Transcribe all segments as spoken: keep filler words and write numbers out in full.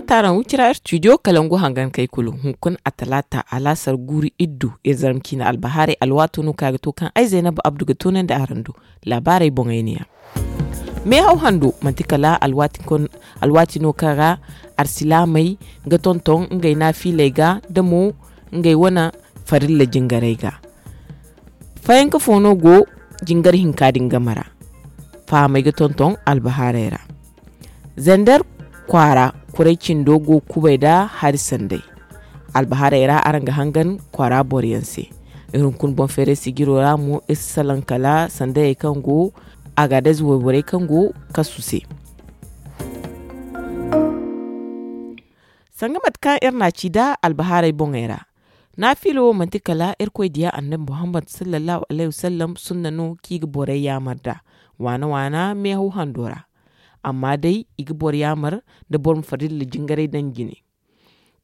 Taaraŋ wicira studio kalangu hangan kay kulu hunkuna a talaata alaasar guuru iddu iri zarma ciina albahaarey alwaato no kaŋ a ga to kaŋ ay zaynab abdu ga toonandi araŋ do. Laabaarey boŋey ne ya. Meehaw hando manti kala alwaati no kaŋ ra arsilaamey ga tonton ngey naafiiley ga da mo ngey wane farilla jingarey ga. Fayanka fo no go jingar hinka din game ra. Fahamey ga tonton albahaarey ra. Zander kwaara kuray cindo go kubay nda hari sanday. Albahaarey ra araŋ ga hangan kwaara boro yaŋ se. Iri hunkuna boŋ feeray sijiro ra mo iri si salaŋ kala sandayey kaŋ go agaadez wayborey kaŋ go kasu se. Sanga mate kaŋ iri n'a ci nda albahaarey boŋey ra. Naafila wo manti kala irkoy diya annabi muhammad sallallahu alayhi wasallam sunna no kaŋ i ga borey yaamar nd'a waana waana meehaw hando ra. Amma day i ga boro yaamar nda boro ma farilla jingaray daŋ jine.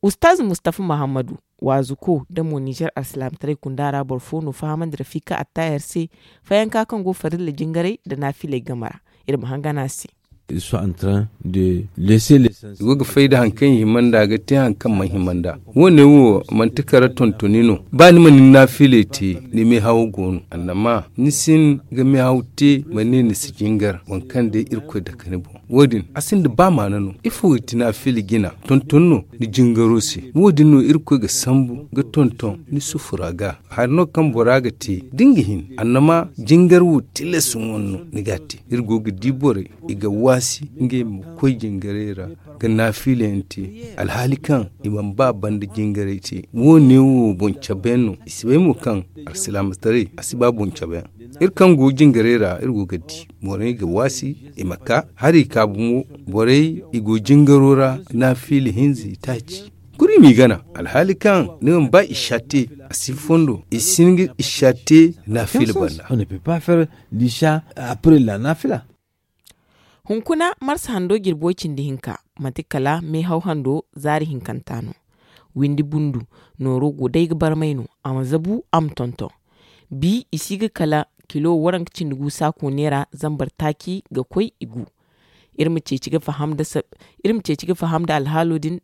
Ustaaz mustafa muhammadu waazuko nda mo nizer alsilaamataray kunda ra boro fo no fahamandi rafika attaahir se fayanka kaŋ go farilla jingaray nda naafiley game ra. Iri ma hangan a se. I go ga fay nda hari kaŋ i hima nd'a ga te hari kaŋ mana hima nd'a. Wo- ne wo manti kala tontoni no ba ni ma ni naafiley te ni meehawo go no annama ni si hin ga meehaw te ma ne ni si jingar waŋ kaŋ day irkoy dake ni boŋ. Wo- din a sinda ba maana no ifo ga ti naafila jina tonton no ni jingaro se. Wo- din no irkoy ga sambu ga tonton ni sufura ga hari no kaŋ bora ga te da ni ga hin annama jingar wo tilas wane no ni ga a te. Iri go ga di borey i ga waasi ngey ma koy jingaray ra ga naafila yaŋ te alhaali kaŋ i mana ba banda jingaray te. Wo- ne wo boŋ cabe yaŋ no i si bay mo kaŋ alsilaamataray a si ba boŋ cabe yaŋ. Iri kaŋ go jingaray ra iri go ga di borey ga waasi i ma ka hari i ka bumo. Borey i go jingaro ra naafila hinza i taaci kuri m'i gana alhaali kaŋ ni mana ba i sha te a si fondo i si hin ga i sha te naafila banda. Hunkuna marsa hando jirbi way cindi hinka manti kala meehaw hando zaari hinkanta no. Windi bundu nooro go day ga barmay no a ma zabu a ma tonton. Bi i si ga kala kilo waranka cindi gu saako neera zambar taaci ga koy i gu. Iri ma ceeci ga faham nda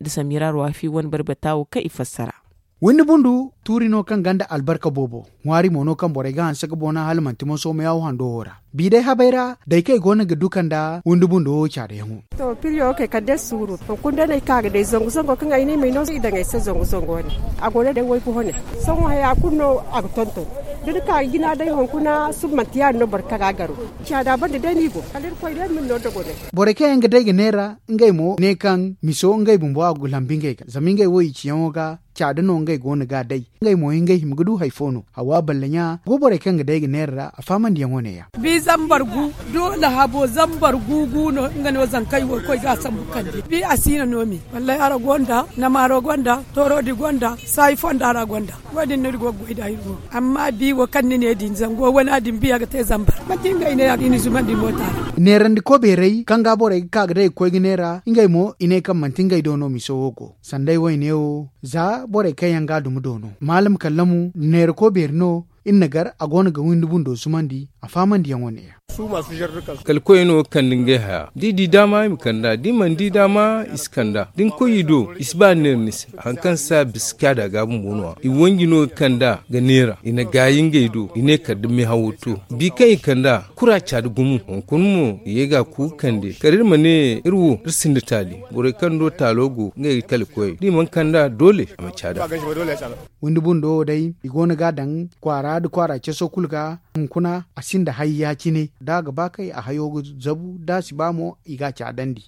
samiira ruwaafi wane barbata wo kaŋ i fassara. Windi bundu tuuri no kaŋ gonda albarka boobo. Ŋwaari mo no kaŋ borey ga hanse ga boona hala manti moso meehaw hando wo ra. Bi day habay ra day kaŋ i go no ga duka nda windi bundo wo caadayaŋo. To piriyo wo kay kala day suuru hunkuna day no ay ka ga day zangu zango kaŋ ay ne ay ma ay no i daŋ ay se zangu zango wane. A go no day waygu hone. Sohõ haya kulu no a ga tonton da ni ka ga jina day hunkuna suba manti ya- din no boro kaŋ ga a garo. Caada banda day no i go kala irkoy day ma ni no dogonay. Borey kaŋ yaŋ ga day ga neera ngey mo ne kaŋ miso ngey bumbo a ga lambu ngey ga zama ngey wo i ciyaŋo ga. Caada no ngey go no ga a day ngey mo ngey hima ga du hari fo no hawa balla ɲa go borey kaŋ ga day ga neera ra a fahamandi yaŋo ne- ya. Bi zambar gu doole habo zambar gu gu no nga no zankey wo koy ga a sambu kande bi a si na no me wallay ara gonda namaaro gonda toorodi gonda saayi fonda ra gonda. Wo- din no iri go ga goy nd'a iri go amma bi wo kaŋ ni ne din zango wana din biya ga te zambar manti ngey ne ya ga i na zumandi moota ra. Neerandi kobeeray kaŋ ga borey ga ka ga day ga koy ga neera ngey mo i ne kaŋ manti ngey do no miso wo go sanday wayne wo za borey kaŋ yaŋ ga a dumi do no maalam kallamu neera kobeeri no. Iri na gar a go no ga windi bundo zumandi a fahamandi yaŋo ne- ya. Kala koyey no ga kande ngey haya da i di daama i ma kand'a da i mana di daama i si kand'a da ni koy i do i si ba neera ni se. Hari kaŋ si a bisa caada ga bumbo no- ya i wanji no ga kand'a ga neera i na gaayi ngey do i ne kala da meehawo to bi kaŋ i kand'a kura caada gumo hunkuna mo i ye ga a ku ga kande kala iri ma ne iri wo iri sinda taali. Borey kaŋ do taalo go ngey ga kala koyey da i mana kand'a doole a ma caada. Windi bundo wo day i go no ga a daŋ kwaara nda kwaara caso kulu ga hunkuna a sinda hari ya- cine da a ga ba kay a hayo ga zabu da a si ba mo i ga a caadandi.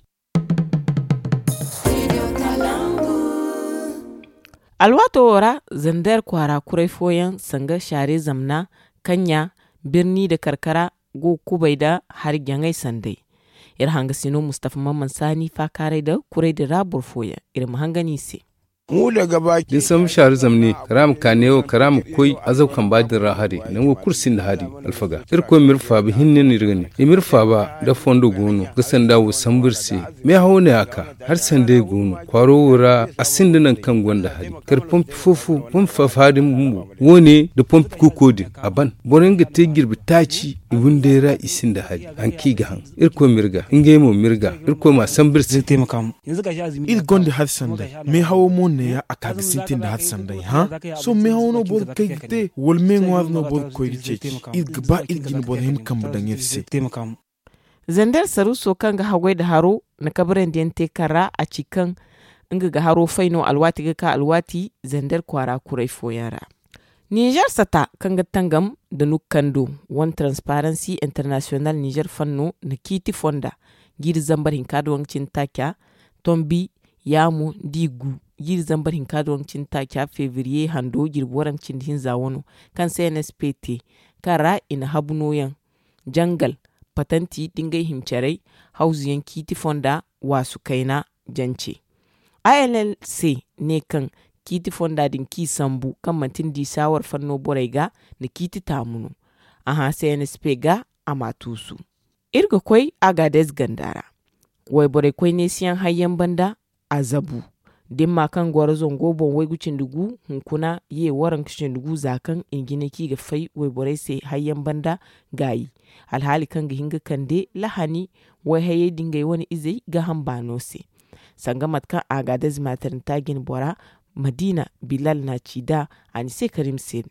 Alwaato wo ra zander kwaara kuray fooyaŋ sanga shaare zamna kaŋ ɲa birni nda karkara go ga kubay nda hari jaŋay sanday. Iri hangasino mustafa mamman saani faakaaray nda kuray din ra boro fooyaŋ iri ma hangan i se. Da ni sambu shaaru zamne kala a ma ka neewo kala a ma koy azaw kamba din ra hari. Nango kulu sinda hari. Alfaga irkoy ma iri faaba hinne no iri ga ne i ma iri faaba. Da fondo go no ga sanda wo sambu iri se. Meehawo ne a ka. Hari sanday go no kwaaro wo ra. A sinda nangu kaŋ gonda hari kala pompi fo-fo pompi fo-fo hari din bumbo wo- ne nda pompi kuuko din a ban. Boro yaŋ ga te jirbi taaci i windey ra i sinda hari. Hari kaŋ i ga haŋ irkoy ma iri ga ngey mo ma iri ga. Irkoy ma a sambu iri se. Iri gonda hari sanday. Meehawo mo neeya a ka ga sintin nda hari sanday hã? Sohõ meehawo no boro ga kay ga te wala meeŋwaari no boro ga koy ga ceeci? Iri ga ba iri jine boro hima kambe daŋ iri se. Zander saruuso kaŋ ga haggoy nda haro na kabrandi yaŋ te kaŋ ra a ci kaŋ nga ga haro fay no alwaati ga ka alwaati zander kwaara kuray fooyaŋ ra. Ninzeer sata kaŋ ga tangam nda nukkando wane transparansi internasiyonal ninzeer fanno na ciiti fonda jiiri zambar hinka nda waranka cindi taaca, tombi, yaamu nda i gu jiiri zambar hinka nda waranka cindi taaca febriye hando jirbi waranka cindi hinza wano, kaŋ se n s p te kaŋ ra i na habu nooyaŋ jangal, patanti nda ngey himcaray, hawzu yaŋ ciiti fonda waasu kayna jance. A l l c ne kaŋ ciiti fonda din kaŋ i sambu kaŋ manti nda i saawar fanno borey ga na ciiti taamu no. A hã c n s p ga a ma a tuusu. Iri ga koy agaadez ganda ra. Wayborey koy neesiyaŋ hayyaŋ banda a zabu. Dimma kaŋ goro zango boŋ waygu cindi gu hunkuna ye waranka cindi gu za kaŋ i na jinay kaŋ i ga fay wayborey se hayyaŋ banda gaayi. Alhaali kaŋ ga hin ga kande lahani wayhayey da ngey wane izey gaaham baano se. Sanga mate kaŋ agaadez maatarinta jine bora madiina bilal na a ci nd'a a ni se karim se.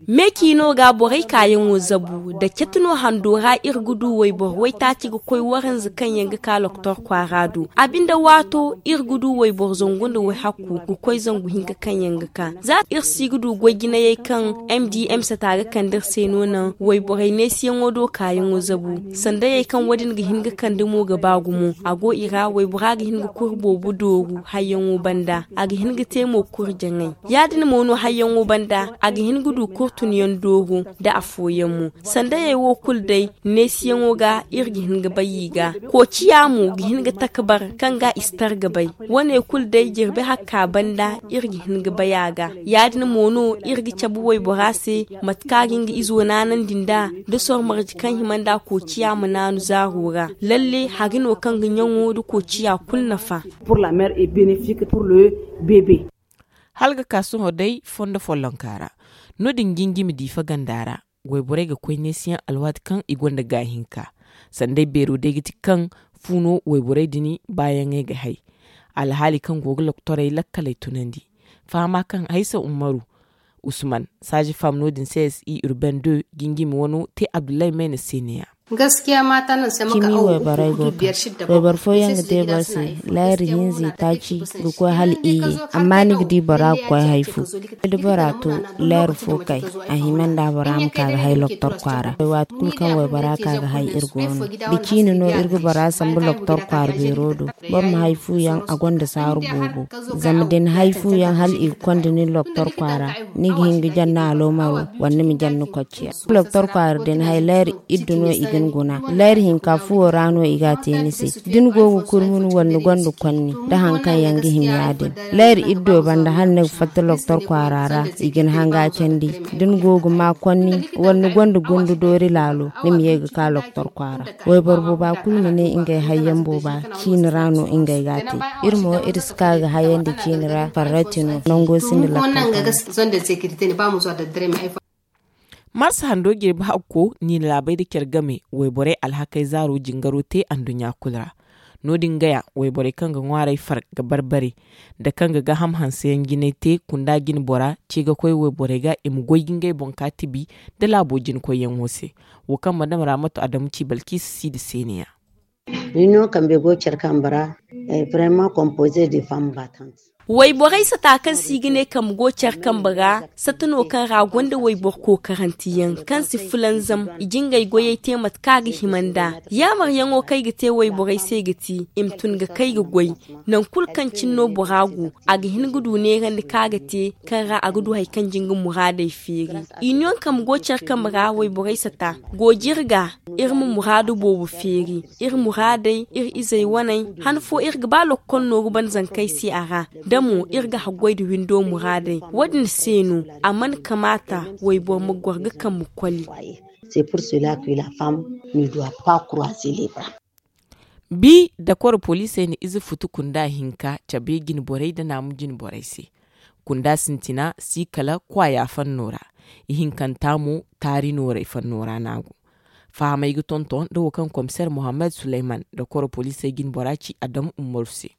Me ciino ga borey kaayaŋo zabu nda cati no hando ra iri ga du wayboro waytaaci ga koy waranza kaŋ yaŋ ga ka loktor kwaara do a binde waato iri ga du wayboro zangu nda wayhakku ga koy zangu hinka kaŋ yaŋ ga ka za iri si ga du goy jinayey kaŋ m d m sata ga kande iri se no naŋ wayborey neesiyaŋo do kaayaŋo zabu sandayey kaŋ wo- din ga hin ga kande mo ga ba gumo a go i ra waybora ga hin ga kuri boobo dooru hayyaŋo banda a ga hin ga te mo kuri jaŋay. Ya- din mo no hayyaŋo banda a ga hin ga du kurtunyaŋ dooro nda afooyaŋ mo. Sandayey wo kulu day neesiyaŋo ga iri ga hin ga bay i ga koociya mo ga hin ga taka bar kaŋ ga i si tar ga bay. Wo- ne kulu day jirbi hakka banda iri ga hin ga bay a ga. Ya- din mo no iri ga cabe waybora se mate kaŋ a ga nga izo naanandi nd'a da sormarji kaŋ hima nd'a koociya ma naanu zaaro ra. Lalle hari no kaŋ ga ɲaŋo nda koociya kulu nafa. Hala ga ka sohõ day fondo follonka ra no- din jinjimi diifa ganda ra. Wayborey ga koy neesiyaŋ alwaati kaŋ i gonda gaahinka. Sanday beero day ga ti kaŋ fu no wayborey din baayaŋey ga hay. Alhaali kaŋ go ga loktorey lakkaley tunandi. Fahama kaŋ haysa umaru usman saaji fam no- din c s i urbain deux jinjimi wano te abdullahi mayna se ne- ya. Cimi wayborey go ga wayboro fooyaŋ ga te boro se. Leeri hinza i taaci ga koy hala iyye. Amma ni ga di bora ga koy hay fo da bora to leeri fo kay a hima nda bora ma ka ga hay loktor kwaara waati kulu kaŋ waybora ka ga hay iri go no da ciine no iri ga bora sambu loktor kwaara beero do. Boro ma hay fu yaŋ a gonda saaru boobo. Zama da ni hay fu yaŋ hala i ga konda nin loktor kwaara ni ga hin ga janna aloomaro wala ni ma janna kocciya. Loktor kwaara da ni hay leeri iddu no i ga ni guna. Leeri hinka fuwo ra no i ga a te ni se. Da ni go ga kurmun wala ni gonda konni da hari kaŋ yaŋ ga hima ya- din leeri iddo banda hala ni ga fatta loktor kwaara ra i ga ni hanga candi. Da ni go ga ma konni wala ni gonda gundu doori laalo ni ma ye ga ka loktor kwaara. Wayboro booba kulu ma ne ngey hayyaŋ booba ciine ra no ngey ga a te. Iri mo iri si ka ga hayandi ciine ra farrati no nango sinda lakkal. Marsa hando jirbi hakko niina laabey nda care game wayborey alhakey zaaro jingaro te anduɲɲa kulu ra. No- din gaya wayborey kaŋ ga ŋwaarey far ga barbare nda kaŋ ga gaaham hanseyaŋ jinay te kunda jine bora ce ga koy wayborey ga i ma goy ga ngey boŋ ka tibi nda laabo jinakoyyaŋo se. Wo kaŋ madam raamatu adamu ci balkiisa siidi se ne- ya. Ni no kambe go care kambe ra vraiment composé de femme battante. Wayborey sata kaŋ se i ga ne kambe go care kambe ra, sata no kaŋ ra gonda wayboro kookaranteyaŋ kaŋ si fulanzam, i jingey goyey te mate kaŋ a ga hima nd'a. Yaamaryaŋo kaŋ i ga te wayborey se ga ti i ma tun ga kay ga goy. Nangu kulu kaŋ cine no bora go, a ga hin ga du neerandi kaŋ a ga te, kaŋ ra a ga du hari kaŋ jin ga muraadey feeri. Iniyoŋ kambe go care kambe ra wayborey sata go jirga, iri ma muraadu boobo feeri, iri muraadey, iri izey waney. Han fo iri ga ba lokkol nooru banda zankey se a ra, da mo iri ga haggoy nda windo muraadey. Wo- din se no a mana kamaata wayboro ma goro ga kambe koli. Bi dakoro poliisey na ize futu kunda hinka cabe jine borey nda naamu jine borey se. Kunda sintina si kala kwaaya fanno ra. Ihinkanta mo taari nooray fanno ra no a go. Fahamey ga tonton nda wo kaŋ komiseer mohammed suleyman dakoro poliisey jine bora ci adamu ummaru se.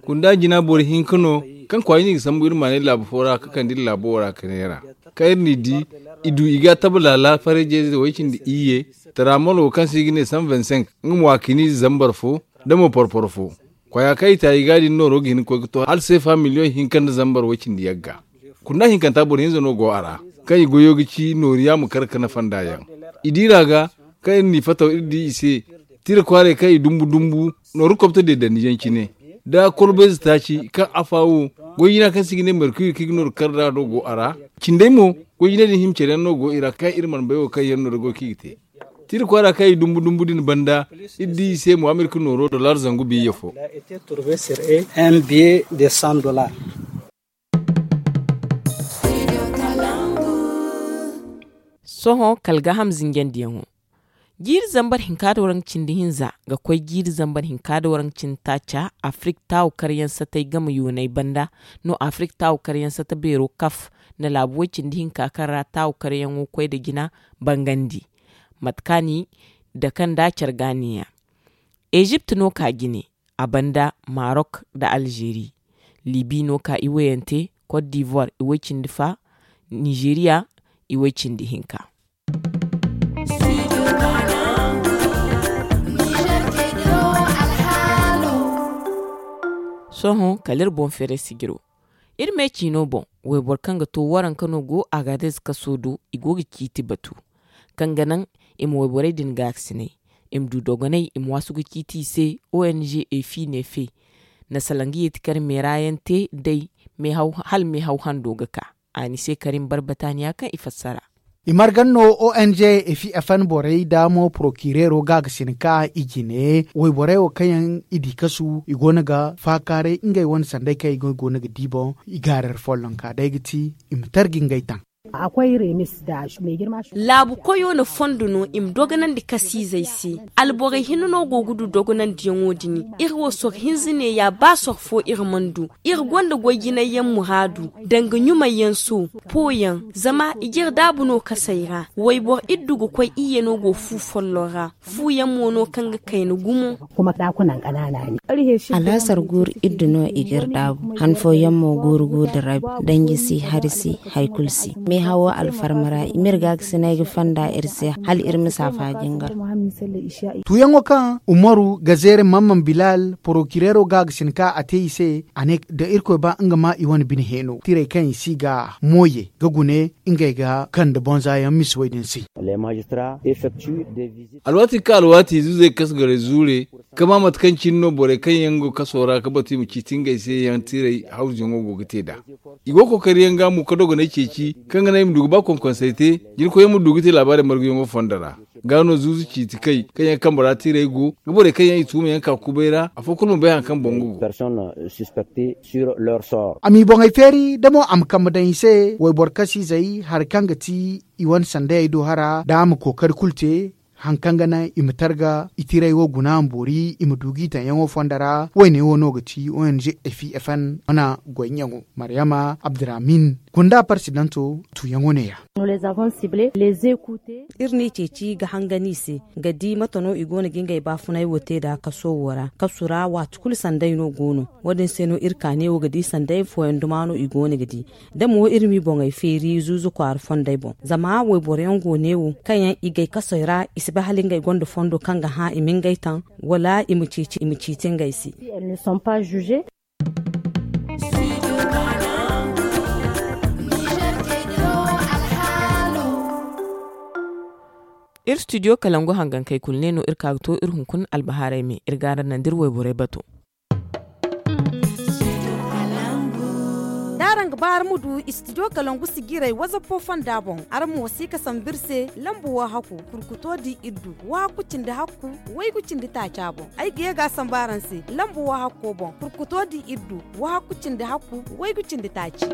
Kunda jina boro hinka no kaŋ kwaayey no i ga sambu iri maanay laabu fo ra ka kande iri laabo wo ra ka neera. Kaŋ iri n'i di, i du i ga a taba laala farayjey ze way-cindi iyye, taraamolo kaŋ se i ga ne san vingt-cinq, nga mo a kini zambar fo, nda mo porporo fo. Kwaaya kaŋ i ta i ga a din nooro ga hin ga koy ga to hala seefa miliyoŋ hinka nda zambar way-cindi yagga. Kunda hinkanta boro hinza no go a ra, kaŋ i goyo ga ci nooriya ma kar ka nafa nd'a yaŋ. I diira ga, kaŋ iri n'i fataw iri di i se, tira kwaaray kaŋ i dumbu dumbu nooru kobto deedandi yaŋ cine, nda kolbayze taaci kaŋ afa wo, goy-jina kaŋ se i ga ne merkuri kaŋ i ga nooru kar nd'a no go a ra. Cindey mo, goy-jinay din hima care yaŋ no go i ra kaŋ iri mana bay wo kaŋ yaŋ no da goy kaŋ i ga te. Tira kwaara kaŋ i dumbu dumbu din banda, iri di i se mo amerika nooro dollar zangu biyya fo. Sohõ kala gaaham zinjandiyaŋo. Jiiri zambar hinka da waranka cindi hinza ga koy jiiri zambar hinka da waranka cindi taaca, afirik taawu karyaŋ satay game yoonay banda no afirik taawu karyaŋ sata beero kaf, nda laabu way cindi hinka kaŋ ra taawu karyaŋo koy nda jina bangandi. Mate kaŋ a ni dake nda care ga neeya. Ezipt no ka jine, a banda marok nda alzeeri. Libi no ka iwayante, kot divoir iway cindi fa, nizeriya iway cindi hinka. Sohõ kala iri boŋ feeray sijiro. Iri me ciino boŋ, wayboro kaŋ ga to waranka no go agadez kaso do, i go ga ciiti batu kaŋ ga naŋ i ma wayborey din gaakasinay, i ma du dogonay i ma waasu ga ciiti i se. Ong efi neefe na salaŋ ga yeeti kar meera yaŋ te day, hala meehaw hando ga ka. A ni se karim barbataniya kaŋ i fassara. I margan no ong efi fn borey nda mo porokireero gaakasin ka i jine wayborey wo kaŋ yaŋ i di kasu i go no ga faakaaray ngey wane sanday kaŋ i go no ga di boŋ. I gaarar follonka day ga ti i ma tarji ngey taŋ. Laabu koyo na fondo no i ma dogonandi kasiizey se. Alborey hinne no go ga du dogonandiyaŋo din. Iri wo soro hinza neeya ba soro fo iri mana du. Iri gonda goy jinay yaŋ muraadu, danga ɲumay yaŋ so, po yaŋ. Zama i jire daabu no kasey ra. Wayboro iddu ga koy iyye no go fu folloŋ ra. Fu yaŋ mo no kaŋ ga kayna gumo. Alhasar guuru iddu no i ga iri daabu. Han fooyaŋ mo guuru guuru da rabi. Danji si hari si, hari kulu si. Meehawo alfarma ra i m'iri gaakasinay ga fonda iri se hala iri ma saafa jingar. Tuuyaŋo kaŋ umaru ga zeere mamman bilal porokireero gaakasin ka a te i se, a ne da irkoy ba nga ma i wane bine heeno tirey kaŋ i si ga mooye ga gune ngey ga kande bonza yaŋ misi wey din se. Alwaati kaŋ alwaati zuuzey kasgarey zuure, ka maa mate kaŋ cine no borey kaŋ yaŋ go kaso ra ga batu i ma ciiti ngey se yaŋ tirey hawzuyaŋo go ga te nd'a. I go ga kookari yaŋ ga mo ga dogonay ceeci kaŋ ga naŋ i ma du ga ba konkonsey te, jirkoyyaŋ ma du ga te laabaarey marguyaŋo fondo ra. Ga no zuuzu ciiti kay kaŋ yaŋ kambe ra tirey go ga borey kaŋ yaŋ i tuuma yaŋ ka kubay ra afo kulu ma bay hari kaŋ boŋ ga go. A m'i boŋey feeri da mo a ma kambe daŋ i se wayboro kasiizey hari kaŋ ga ti i wane sandayey do hara da a ma kookari kulu te. Hari kaŋ ga naŋ i ma targa i tiray wo guna ma boori i ma du g'i taŋyaŋo fondo ra. Woyne wo no ga ti ong fi fn wana goyyaŋo. Maryama abdurahmin gunda parsidanto tuuyaŋo neeya. Iri n'i ceeci ga hangan i se ga di mate no i go no ga ngey baafunay wo te nd'a kaso wo ra kasu ra waati kulu sanday no go no. Wo- din se no iri ka ne wo ga di sanday fooyaŋ duma no i go no ga di. Da mo iri m'i boŋey feeri zuuzu kwaara fondey boŋ zama wayboro yaŋ go ne wo kaŋ yaŋ i gay kasey ra i si bay hala ngey gonda fondo kaŋ ga hã i ma ngey taŋ wala i ma ceeci i ma ciiti ngey se. Iri studio kalangu hangankey kulu ne no iri ka ga to iri hunkuna albahaarey me iri ga araŋ naŋ da iri wayborey bato. Da araŋ ga ba araŋ ma du studio kalangu sijirey wazappo fonda boŋ, araŋ ma wasiika sambu iri se lambu wahakku kurkuto di iddu wahakku cindi hakku waygu cindi taaca boŋ. Ay ga ye ga a sambu araŋ se lambu wahakko boŋ kurkuto di iddu wahakku cindi hakku waygu cindi taaci.